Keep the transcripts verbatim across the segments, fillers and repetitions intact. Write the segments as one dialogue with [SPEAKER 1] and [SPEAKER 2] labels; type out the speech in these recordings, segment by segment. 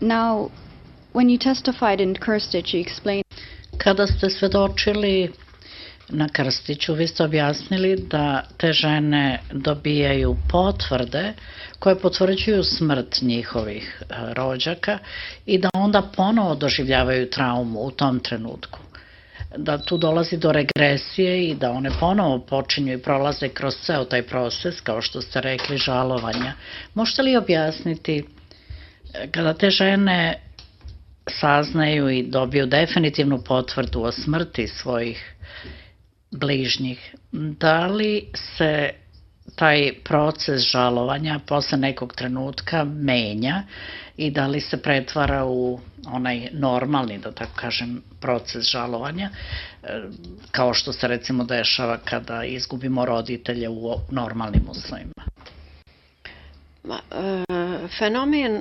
[SPEAKER 1] Now, when you testified in Krstić, you explained...
[SPEAKER 2] Kada ste svedočili na Krstiću, vi ste objasnili da te žene dobijaju potvrde koje potvrđuju smrt njihovih rođaka i da onda ponovo doživljavaju traumu u tom trenutku. Da tu dolazi do regresije i da one ponovo počinju i prolaze kroz ceo taj proces, kao što ste rekli, žalovanja. Možete li objasniti, kada te žene saznaju i dobiju definitivnu potvrdu o smrti svojih bližnjih, da li se taj proces žalovanja posle nekog trenutka menja i da li se pretvara u onaj normalni, da tako kažem, proces žalovanja, kao što se recimo dešava kada izgubimo roditelje u normalnim uslovima?
[SPEAKER 3] Fenomen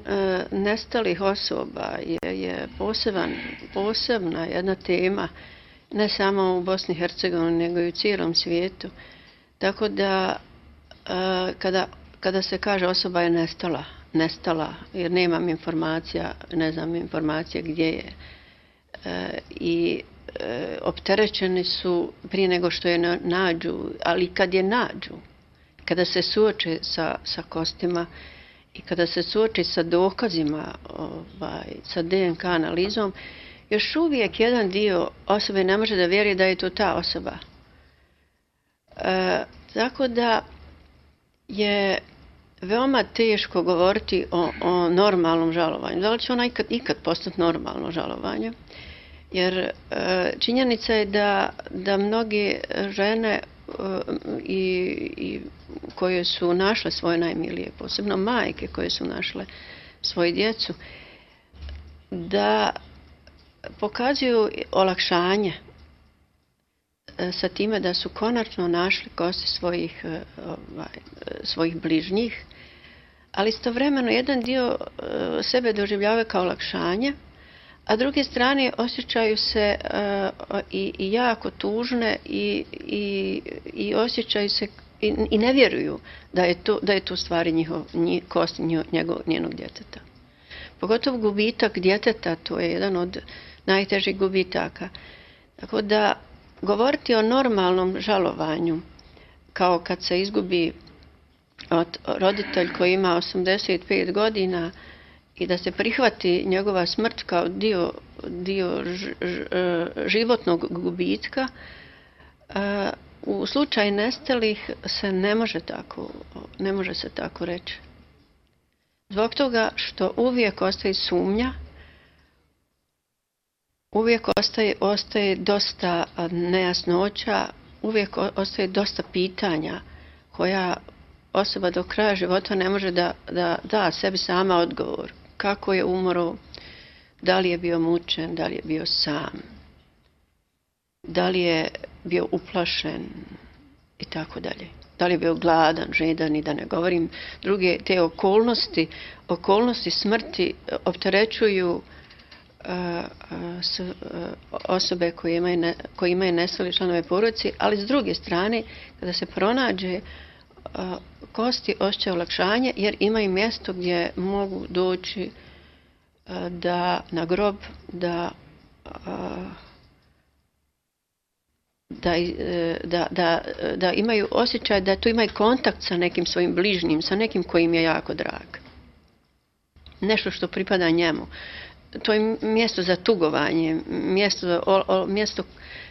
[SPEAKER 3] nestalih osoba je posebna jedna tema, ne samo u Bosni i Hercegovini, nego i u cijelom svijetu. Tako da kada, kada se kaže osoba je nestala, nestala jer nemam informacija, ne znam informacije gdje je i opterećeni su prije nego što je nađu, ali kad je nađu, kada se suoče sa, sa kostima i kada se suoči sa dokazima, ovaj, sa D N K analizom, još uvijek jedan dio osobe ne može da vjeruje da je to ta osoba. E, tako da je veoma teško govoriti o, o normalnom žalovanju. Da li će ona ikad, ikad postati normalno žalovanje? Jer e, činjenica je da, da mnoge žene e, i, i koje su našle svoje najmilije, posebno majke koje su našle svoju djecu, da pokazuju olakšanje sa time da su konačno našli kosti svojih, ovaj, svojih bližnjih, ali istovremeno jedan dio sebe doživljava kao olakšanje, a druge strane osjećaju se uh, i, i jako tužne i, i, i osjećaju se i, i ne vjeruju da je to, da je to stvari njihov, njih, kosti njegov, njenog djeteta. Pogotovo gubitak djeteta, to je jedan od najtežih gubitaka. Tako da govoriti o normalnom žalovanju, kao kad se izgubi od roditelj koji ima osamdeset pet godina i da se prihvati njegova smrt kao dio, dio ž, ž, životnog gubitka, u slučaju nestalih se ne može tako, ne može se tako reći. Zbog toga što uvijek ostaje sumnja, uvijek ostaje, ostaje dosta nejasnoća, uvijek ostaje dosta pitanja koja osoba do kraja života ne može da da, da sebi sama odgovor. Kako je umro, da li je bio mučen, da li je bio sam, da li je bio uplašen i tako dalje. Da li je bio gladan, žedan i da ne govorim druge te okolnosti, okolnosti smrti opterećuju uh, s, uh, osobe koje imaju, ne, koje imaju nestali članove porodice, ali s druge strane, kada se pronađe uh, kosti osjećaju olakšanje jer imaju mjesto gdje mogu doći uh, da, na grob da uh, Da, da, da, da imaju osjećaj da tu imaju kontakt sa nekim svojim bližnjim, sa nekim koji im je jako drag. Nešto što pripada njemu. To je mjesto za tugovanje, mjesto, o, o, mjesto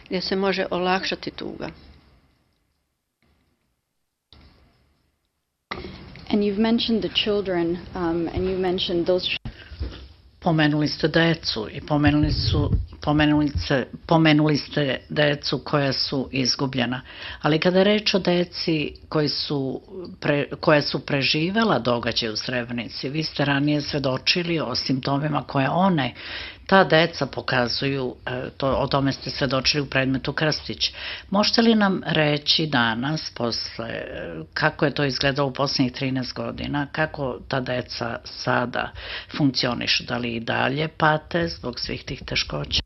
[SPEAKER 3] gdje se može olakšati tuga.
[SPEAKER 1] And you've mentioned the children, um, and you mentioned those...
[SPEAKER 2] Pomenuli ste decu i pomenuli su Pomenuli ste, pomenuli ste decu koja su izgubljena, ali kada je reč o deci koji su pre, koja su preživela događaj u Srebrenici, vi ste ranije svedočili o simptomima koje one, ta deca pokazuju, to, o tome ste svedočili u predmetu Krstić. Možete li nam reći danas, posle, kako je to izgledalo u posljednjih trinaest godina, kako ta deca sada funkcionišu, da li i dalje pate zbog svih tih teškoća?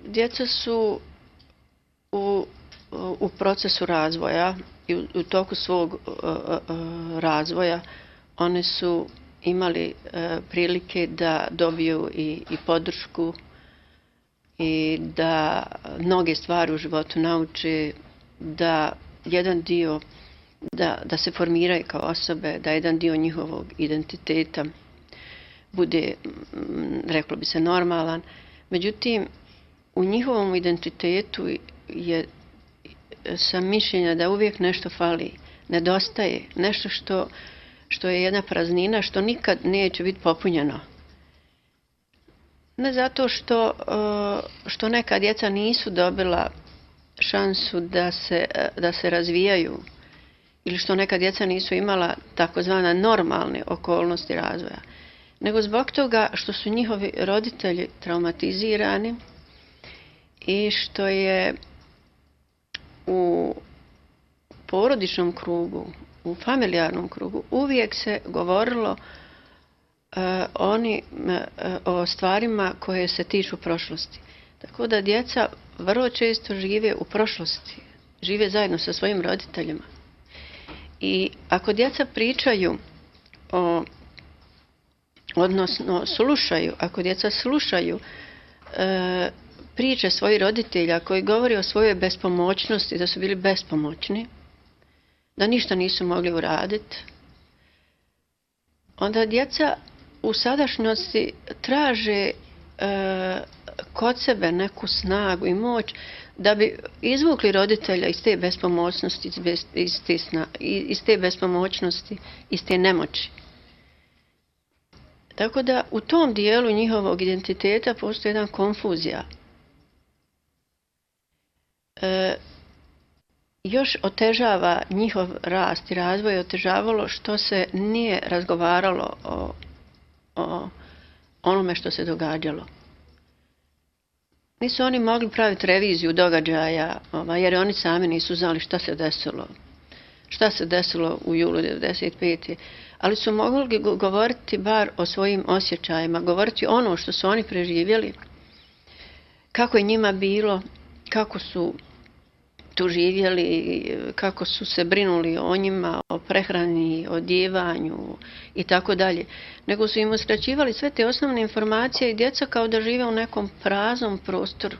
[SPEAKER 3] Djeca su u, u procesu razvoja i u, u toku svog uh, uh, razvoja one su imali e, prilike da dobiju i, i podršku i da mnoge stvari u životu nauče, da jedan dio, da, da se formiraju kao osobe, da jedan dio njihovog identiteta bude, reklo bi se, normalan. Međutim, u njihovom identitetu je sam mišljenja da uvijek nešto fali, nedostaje, nešto što, što je jedna praznina, što nikad neće biti popunjeno. Ne zato što, što neka djeca nisu dobila šansu da se, da se razvijaju ili što neka djeca nisu imala takozvana normalne okolnosti razvoja, nego zbog toga što su njihovi roditelji traumatizirani i što je u porodičnom krugu, u familijarnom krugu uvijek se govorilo uh, oni, uh, o stvarima koje se tiču prošlosti. Tako da djeca vrlo često žive u prošlosti, žive zajedno sa svojim roditeljima. I ako djeca pričaju o, odnosno slušaju, ako djeca slušaju e, priče svojih roditelja koji govori o svojoj bespomoćnosti, da su bili bespomoćni, da ništa nisu mogli uraditi, onda djeca u sadašnjosti traže e, kod sebe neku snagu i moć da bi izvukli roditelja iz te bespomoćnosti, iz te, sna, iz te bespomoćnosti, iz te nemoći. Tako da u tom dijelu njihovog identiteta postoji jedna konfuzija. E, još otežava njihov rast i razvoj, otežavalo što se nije razgovaralo o, o onome što se događalo. Nisu oni mogli praviti reviziju događaja, jer oni sami nisu znali šta se desilo. Šta se desilo u julu devedeset pete. Ali su mogli govoriti bar o svojim osjećajima, govoriti ono što su oni preživjeli, kako je njima bilo, kako su tu živjeli, kako su se brinuli o njima, o prehrani, o odjevanju i tako dalje. Nego su im uskraćivali sve te osnovne informacije i djeca kao da žive u nekom praznom prostoru.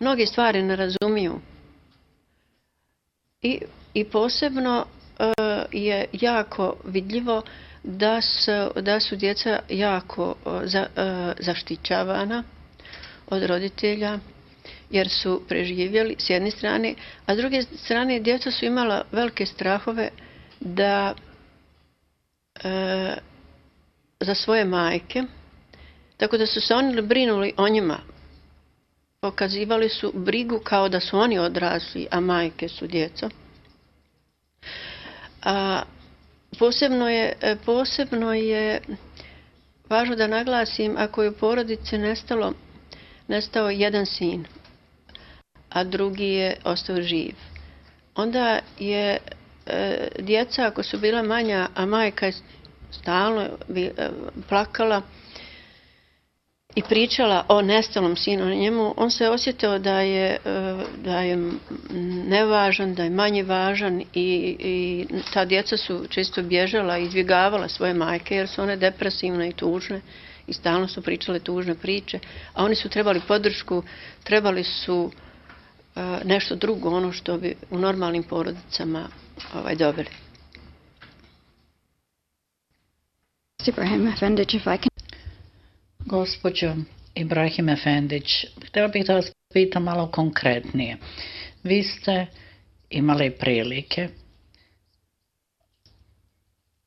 [SPEAKER 3] Mnoge stvari ne razumiju. I, i posebno uh, je jako vidljivo da su, da su djeca jako uh, za, uh, zaštićavana od roditelja, jer su preživjeli s jedne strane, a s druge strane djeca su imala velike strahove da e, za svoje majke, tako da su se oni brinuli o njima. Pokazivali su brigu kao da su oni odrasli, a majke su djeca. A posebno je, posebno je važno da naglasim, ako je u porodici nestalo, nestao jedan sin, a drugi je ostao živ, onda je e, djeca, ako su bila manja, a majka je stalno bi, e, plakala i pričala o nestalom sinu, njemu, on se osjetio da je, e, da je nevažan, da je manje važan i, i ta djeca su često bježala i izbjegavala svoje majke jer su one depresivne i tužne i stalno su pričale tužne priče, a oni su trebali podršku, trebali su nešto drugo, ono što bi u normalnim porodicama ovaj, dobili.
[SPEAKER 1] Ibrahim Efendić, if I can...
[SPEAKER 2] Gospođo Ibrahim Efendić, htjela bih da vas pitam malo konkretnije. Vi ste imali prilike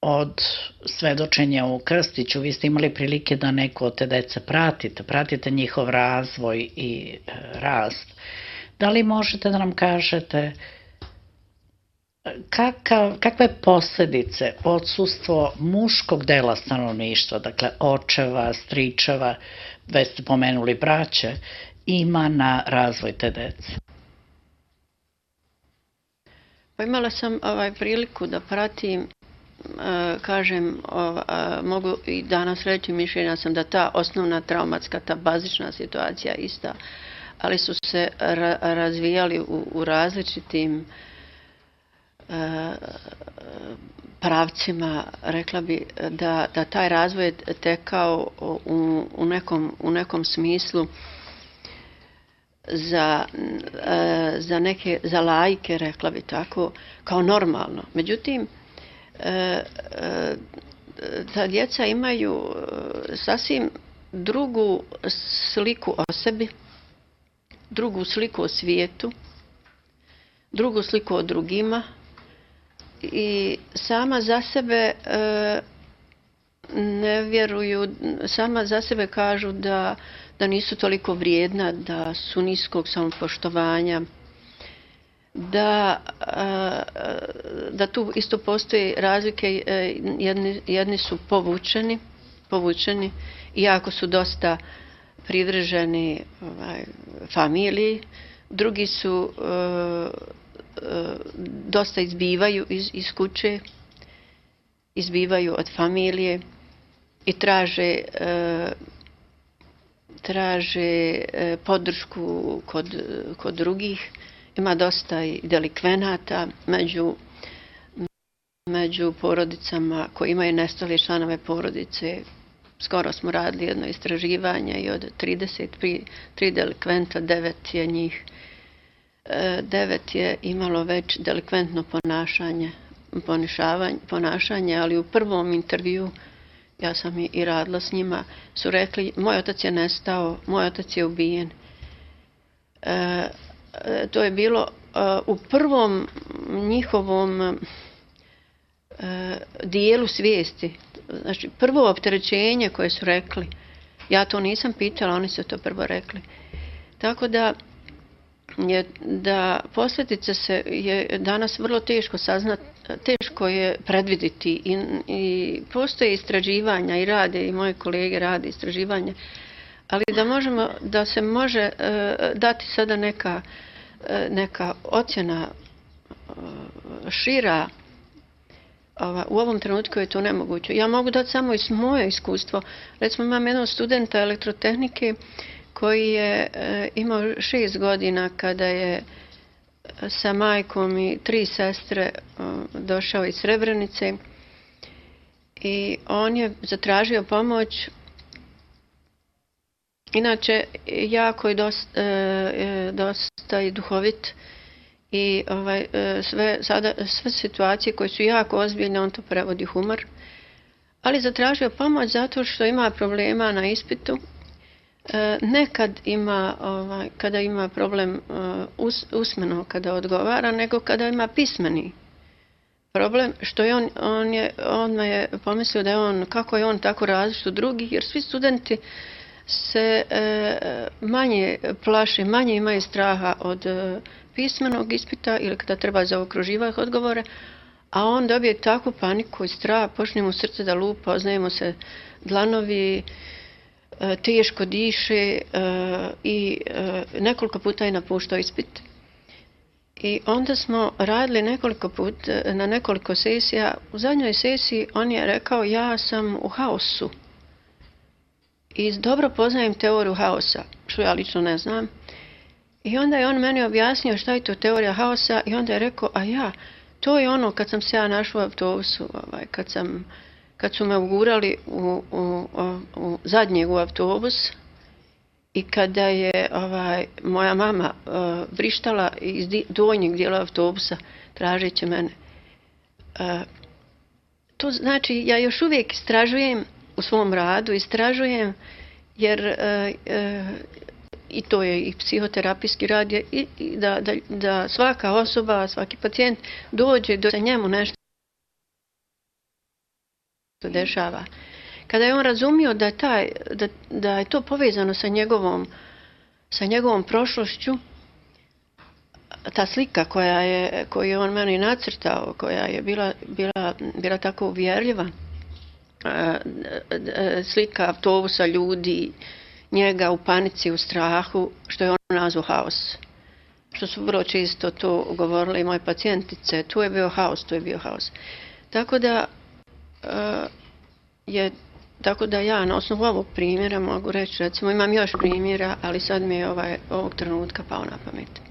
[SPEAKER 2] od svedočenja u Krstiću, vi ste imali prilike da neko od te dece pratite, pratite njihov razvoj i e, rast. Da li možete da nam kažete kakav, kakve posljedice odsustvo muškog dela stanovništva, dakle očeva, stričeva, već ste pomenuli braće, ima na razvoj te dece?
[SPEAKER 3] Pa imala sam ovaj, priliku da pratim, e, kažem, ov, a, mogu i danas reći, mišljenja sam da ta osnovna traumatska, ta bazična situacija je ista, ali su se ra razvijali u, u različitim e, pravcima, rekla bi da, da taj razvoj je tekao u, u, nekom, u nekom smislu za, za neke, za laike, rekla bi tako, kao normalno. Međutim, ta djeca imaju sasvim drugu sliku o sebi, drugu sliku o svijetu, drugu sliku o drugima i sama za sebe e, ne vjeruju, sama za sebe kažu da, da nisu toliko vrijedna, da su niskog samopoštovanja, da, e, da tu isto postoji razlike, e, jedni, jedni su povučeni, povučeni, iako su dosta privrženi ovaj, familiji, drugi su e, dosta izbivaju iz, iz kuće, izbivaju od familije i traže, e, traže e, podršku kod, kod drugih. Ima dosta i delikvenata među, među porodicama koji imaju nestale članove porodice. Skoro smo radili jedno istraživanje i od trideset tri delikventa, devet je njih devet je imalo već delikventno ponašanje, ponašanje, ali u prvom intervju, ja sam i radila s njima, su rekli, moj otac je nestao, moj otac je ubijen. E, to je bilo e, u prvom njihovom e, dijelu svijesti. Znači, prvo opterećenje koje su rekli, ja to nisam pitala, oni su to prvo rekli. Tako da je da posljedice se je danas vrlo teško saznati, teško je predviditi i, i postoje istraživanja i rade i moje kolege rade istraživanja, ali da možemo, da se može uh, dati sada neka, uh, neka ocjena uh, šira, ova, u ovom trenutku je to nemoguće. Ja mogu dati samo iz moje iskustvo. Recimo imam jednog studenta elektrotehnike koji je e, imao šest godina kada je sa majkom i tri sestre e, došao iz Srebrenice i on je zatražio pomoć. Inače, jako je dosta, e, dosta i duhovit i ovaj, e, sve, sada, sve situacije koje su jako ozbiljne, on to prevodi humor, ali zatražio pomoć zato što ima problema na ispitu. Nekad ima, ovaj, kada ima problem us, usmeno kada odgovara, nego kada ima pismeni problem, što je on, on je, on je pomislio da je on, kako je on tako različit od drugih, jer svi studenti se e, manje plaše, manje imaju straha od e, pismenog ispita ili kada treba zaokruživati odgovore, a on dobije takvu paniku i strah, počne mu srce da lupa, oznaje mu se dlanovi, teško diše i nekoliko puta je napuštao ispit. I onda smo radili nekoliko puta, na nekoliko sesija. U zadnjoj sesiji on je rekao, ja sam u haosu i dobro poznajem teoriju haosa, što ja lično ne znam. I onda je on meni objasnio šta je to teorija haosa i onda je rekao, a ja, to je ono kad sam se ja našla u autobusu, ovaj, kad sam kad su me ugurali u, u, u, u zadnjeg u autobus i kada je ovaj, moja mama uh, vrištala iz donjeg dijela autobusa tražeći mene. Uh, to znači, ja još uvijek istražujem u svom radu, istražujem jer uh, uh, i to je i psihoterapijski rad, je, i, i da, da, da svaka osoba, svaki pacijent dođe do njemu nešto dešava. Kada je on razumio da je, taj, da, da je to povezano sa njegovom, sa njegovom prošlošću, ta slika koja je, koju je on meni nacrtao, koja je bila, bila, bila tako uvjerljiva, slika autobusa, ljudi, njega u panici, u strahu, što je on nazvao haos. Što su vrlo često to govorile i moje pacijentice, tu je bio haos, tu je bio haos. Tako da je, tako da ja na osnovu ovog primjera mogu reći, recimo imam još primjera, ali sad mi je ovaj, ovog trenutka pao na pamet.